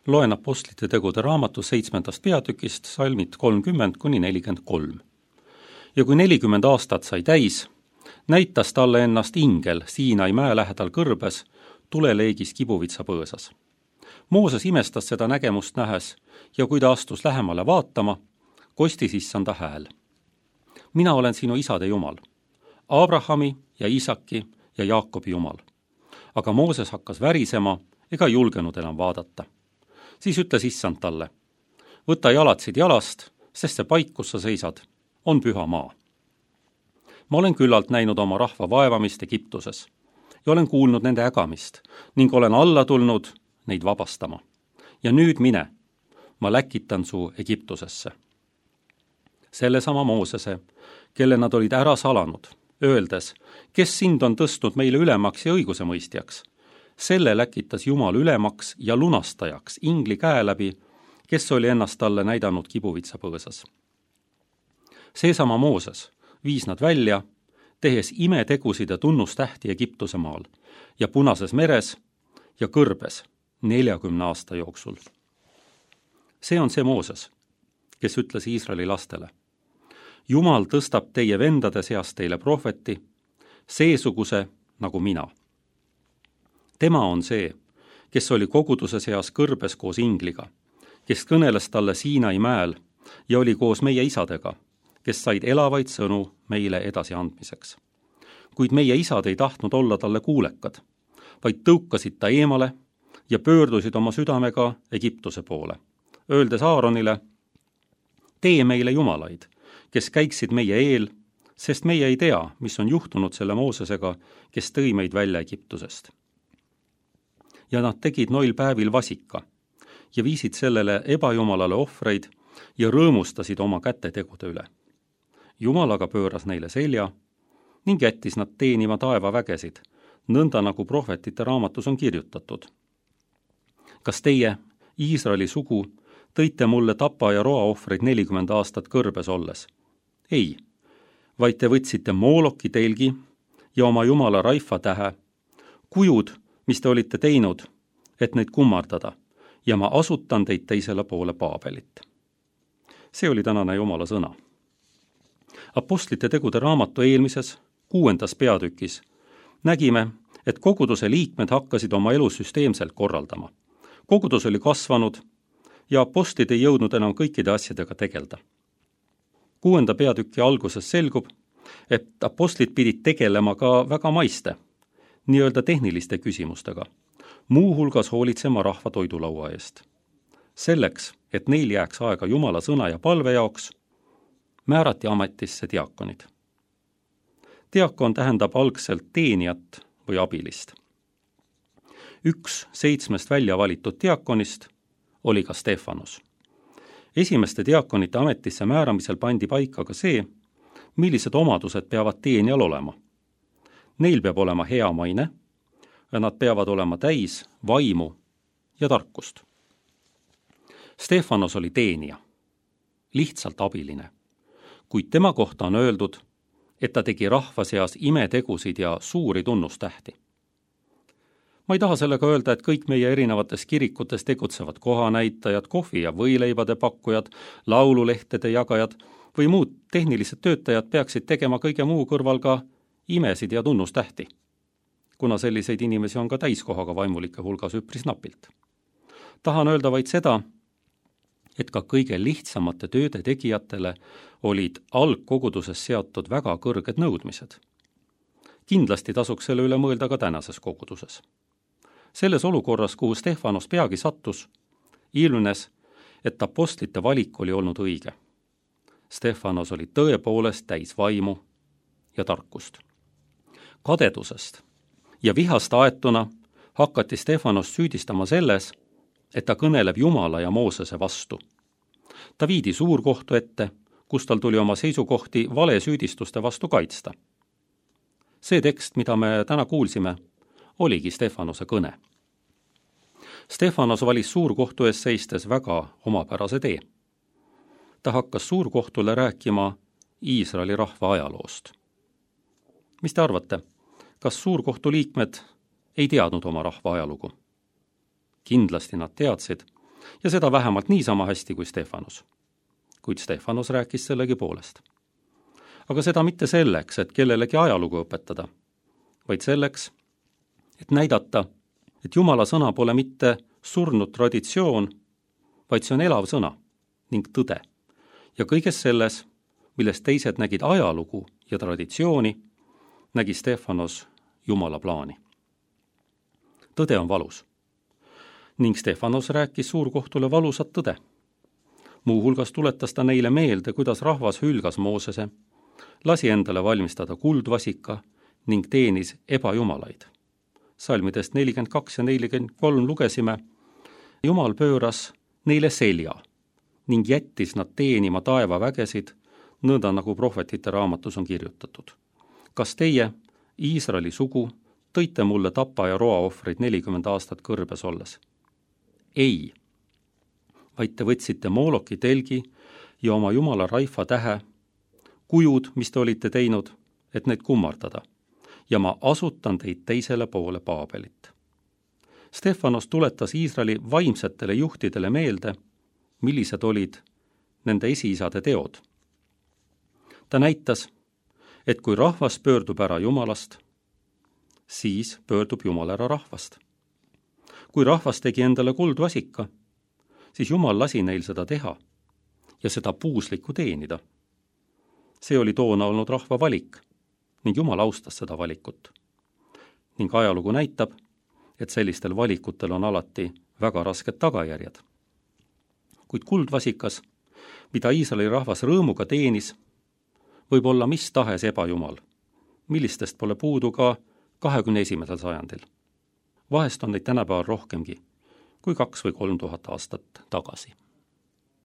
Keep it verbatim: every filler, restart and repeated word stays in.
Loen Apostlite tegude raamatu seitsmendast peatükist salmid kolmkümmend kuni nelikümmend kolm. Ja kui nelikümmend aastat sai täis, näitas talle ennast ingel Siinai mäe lähedal kõrbes, tuleleegis kibuvitsa põõsas. Mooses imestas seda nägemust nähes ja kui ta astus lähemale vaatama, kostis issanda hääl. Mina olen sinu isade Jumal, Abrahami ja Iisaki ja Jaakobi Jumal. Aga Mooses hakkas värisema ega julgenud enam vaadata. Siis ütles issand talle, võta jalatsid jalast, sest see paik, kus sa seisad, on püha maa. Ma olen küllalt näinud oma rahva vaevamist Egiptuses ja olen kuulnud nende ägamist ning olen alla tulnud neid vabastama. Ja nüüd mine, ma läkitan su Egiptusesse. Sellesama Moosese, kelle nad olid ära salanud, öeldes, kes sind on tõstnud meile ülemaks ja õigusemõistjaks, selle läkitas Jumal ülemaks ja lunastajaks ingli käe läbi, kes oli ennast talle näidanud kibuvitsa põõsas. Seesama Mooses viis nad välja, tehes imetegusid ja tunnustähti Egiptuse maal ja Punases meres ja kõrbes neljakümne aasta jooksul. See on see Mooses, kes ütles Iisraeli lastele, Jumal tõstab teie vendade seast teile prohveti, seesuguse nagu mina. Tema on see, kes oli koguduse seas kõrbes koos ingliga, kes kõneles talle Siinai mäel ja oli koos meie isadega, kes said elavaid sõnu meile edasi andmiseks. Kuid meie isad ei tahtnud olla talle kuulekad, vaid tõukasid ta eemale ja pöördusid oma südamega Egiptuse poole, öeldes Aaronile, tee meile jumalaid, kes käiksid meie eel, sest meie ei tea, mis on juhtunud selle Moosesega, kes tõi meid välja Egiptusest. Ja nad tegid noil päevil vasika ja viisid sellele ebajumalale ohvreid ja rõõmustasid oma kätetegude üle. Jumal aga pööras neile selja ning jättis nad teenima taeva vägesid, nõnda nagu prohvetite raamatus on kirjutatud. Kas teie, Iisraeli sugu, tõite mulle tapa ja roa ohvreid nelikümmend aastat kõrbes olles? Ei, vaid te võtsite Mooloki telgi ja oma jumala Raifa tähe, kujud, mis te olite teinud, et neid kummardada, ja ma asutan teid teisele poole Paabelit. See oli tänane Jumala sõna. Apostlite tegude raamatu eelmises, kuuendas peatükis nägime, et koguduse liikmed hakkasid oma elu süsteemselt korraldama. Kogudus oli kasvanud ja apostlid ei jõudnud enam kõikide asjadega tegelda. Kuuenda peatüki alguses selgub, et apostlid pidid tegelema ka väga maiste, nii-öelda tehniliste küsimustega, muuhulgas hoolitsema rahva toidulaua eest. Selleks, et neil jääks aega Jumala sõna ja palve jaoks, määrati ametisse diakonid. Diakon tähendab algselt teenijat või abilist. Üks seitsmest välja valitud diakonist oli ka Stefanos. Esimeste diakonite ametisse määramisel pandi paika ka see, millised omadused peavad teenijal olema. Neil peab olema hea maine ja nad peavad olema täis vaimu ja tarkust. Stefanos oli teenija, lihtsalt abiline, kuid tema kohta on öeldud, et ta tegi rahva seas imetegusid ja suuri tunnustähti. Ma ei taha sellega öelda, et kõik meie erinevates kirikutes tegutsevad kohanäitajad, kohvi- ja võileibade pakkujad, laululehtede jagajad või muud tehnilised töötajad peaksid tegema kõige muu kõrval ka imesid ja tunnustähti, kuna selliseid inimesi on ka täiskohaga vaimulike hulgas üpris napilt. Tahan öelda vaid seda, et ka kõige lihtsamate tööde tegijatele olid algkoguduses seatud väga kõrged nõudmised. Kindlasti tasuks selle üle mõelda ka tänases koguduses. Selles olukorras, kuhu Stefanos peagi sattus, ilmnes, et apostlite valik oli olnud õige. Stefanos oli tõepoolest täis vaimu ja tarkust. Kadedusest ja vihast aetuna hakati Stefanos süüdistama selles, et ta kõneleb Jumala ja Moosese vastu. Ta viidi suurkohtu ette, kus tal tuli oma seisukohti valesüüdistuste vastu kaitsta. See tekst, mida me täna kuulsime, oligi Stefanose kõne. Stefanos valis suurkohtu ees seistes väga omapärase tee. Ta hakkas suurkohtule rääkima Iisraeli rahva ajaloost. Mis te arvate, kas suurkohtu liikmed ei teadnud oma rahva ajalugu? Kindlasti nad teadsid, ja seda vähemalt niisama hästi kui Stefanus. Kuid Stefanus rääkis sellegi poolest. Aga seda mitte selleks, et kellelegi ajalugu õpetada, vaid selleks, et näidata, et Jumala sõna pole mitte surnud traditsioon, vaid see on elav sõna ning tõde. Ja kõiges selles, milles teised nägid ajalugu ja traditsiooni, nägi Stefanos Jumala plaani. Tõde on valus. Ning Stefanos rääkis suurkohtule valusat tõde. Muuhulgas tuletas ta neile meelde, kuidas rahvas hülgas Moosese, lasi endale valmistada kuldvasika ning teenis ebajumalaid. Salmidest nelikümmend kaks ja nelikümmend kolm lugesime, Jumal pööras neile selja ning jättis nad teenima taevavägesid, nõnda nagu prohvetite raamatus on kirjutatud. Kas teie, Iisraeli sugu, tõite mulle tapa ja roaohvreid nelikümmend aastat kõrbes olles? Ei, vaid te võtsite Mooloki telgi ja oma Jumala Raifa tähe, kujud, mis te olite teinud, et neid kummardada, ja ma asutan teid teisele poole Paabelit. Stefanos tuletas Iisraeli vaimsetele juhtidele meelde, millised olid nende esiisade teod. Ta näitas, et kui rahvas pöördub ära Jumalast, siis pöördub Jumal ära rahvast. Kui rahvas tegi endale kuldvasika, siis Jumal lasi neil seda teha ja seda puuslikku teenida. See oli toona olnud rahva valik ning Jumal austas seda valikut. Ning ajalugu näitab, et sellistel valikutel on alati väga rasked tagajärjed. Kuid kuldvasikas, mida Iisraeli rahvas rõõmuga teenis, võib olla mis tahes ebajumal, millistest pole puudu ka kahekümne esimesel sajandil. Vahest on neid tänapäeval rohkemgi kui kaks või kolm tuhat aastat tagasi.